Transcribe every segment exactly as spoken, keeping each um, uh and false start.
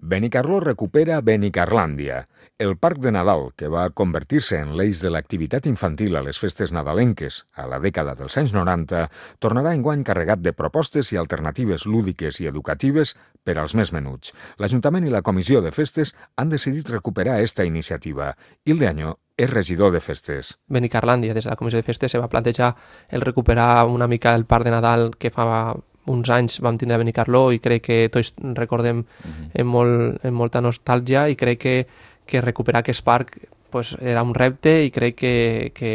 Benicarló recupera Benicarlàndia. El parc de Nadal, que va convertir-se en l'eix de l'activitat infantil a les festes nadalenques a la dècada dels anys noranta, tornarà enguany carregat de propostes i alternatives lúdiques i educatives per als més menuts. L'Ajuntament i la Comissió de Festes han decidit recuperar esta iniciativa. Hilde Añó és regidor de Festes. Benicarlàndia, des de la Comissió de Festes, se va plantejar el recuperar una mica el parc de Nadal que fa uns anys vam tindre a Benicarló i crec que tots recordem uh-huh. amb, molt, amb molta nostàlgia i crec que, que recuperar aquest parc pues, era un repte i crec que, que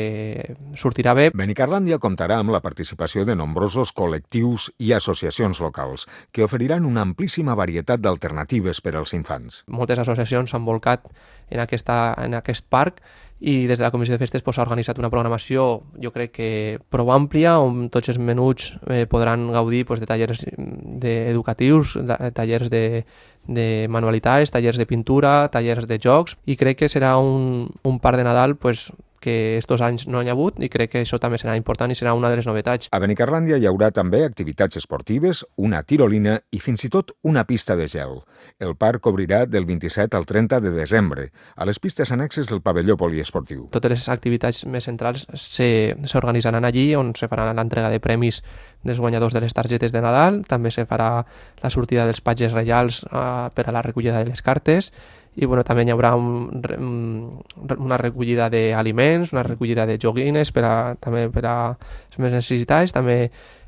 sortirà bé. Benicarlàndia comptarà amb la participació de nombrosos col·lectius i associacions locals que oferiran una amplíssima varietat d'alternatives per als infants. Moltes associacions s'han volcat en, aquesta, en aquest parc i des de la Comissió de Festes s'ha pues, organitzat una programació, jo crec que prou àmplia, on tots els menuts eh, podran gaudir pues, de tallers de, educatius, de, tallers de, de manualitats, tallers de pintura, tallers de jocs, i crec que serà un, un parc de Nadal pues, que estos anys no hi ha hagut i crec que això també serà important i serà una de les novetats. A Benicarlàndia hi haurà també activitats esportives, una tirolina i fins i tot una pista de gel. El parc obrirà del vint-i-set al trenta de desembre, a les pistes annexes del pavelló poliesportiu. Totes les activitats més centrals s'organitzaran allí, on se farà l'entrega de premis dels guanyadors de les targetes de Nadal, també se farà la sortida dels patges reials eh, per a la recollida de les cartes, i bueno, també hi haurà un, una recollida d'aliments, una recollida de joguines per a, també per a les més necessitats, també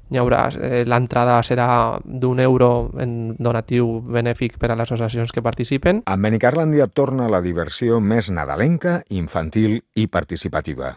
hi haurà, eh, l'entrada serà d'un euro en donatiu benèfic per a les associacions que participen. A Benicarlàndia torna la diversió més nadalenca, infantil i participativa.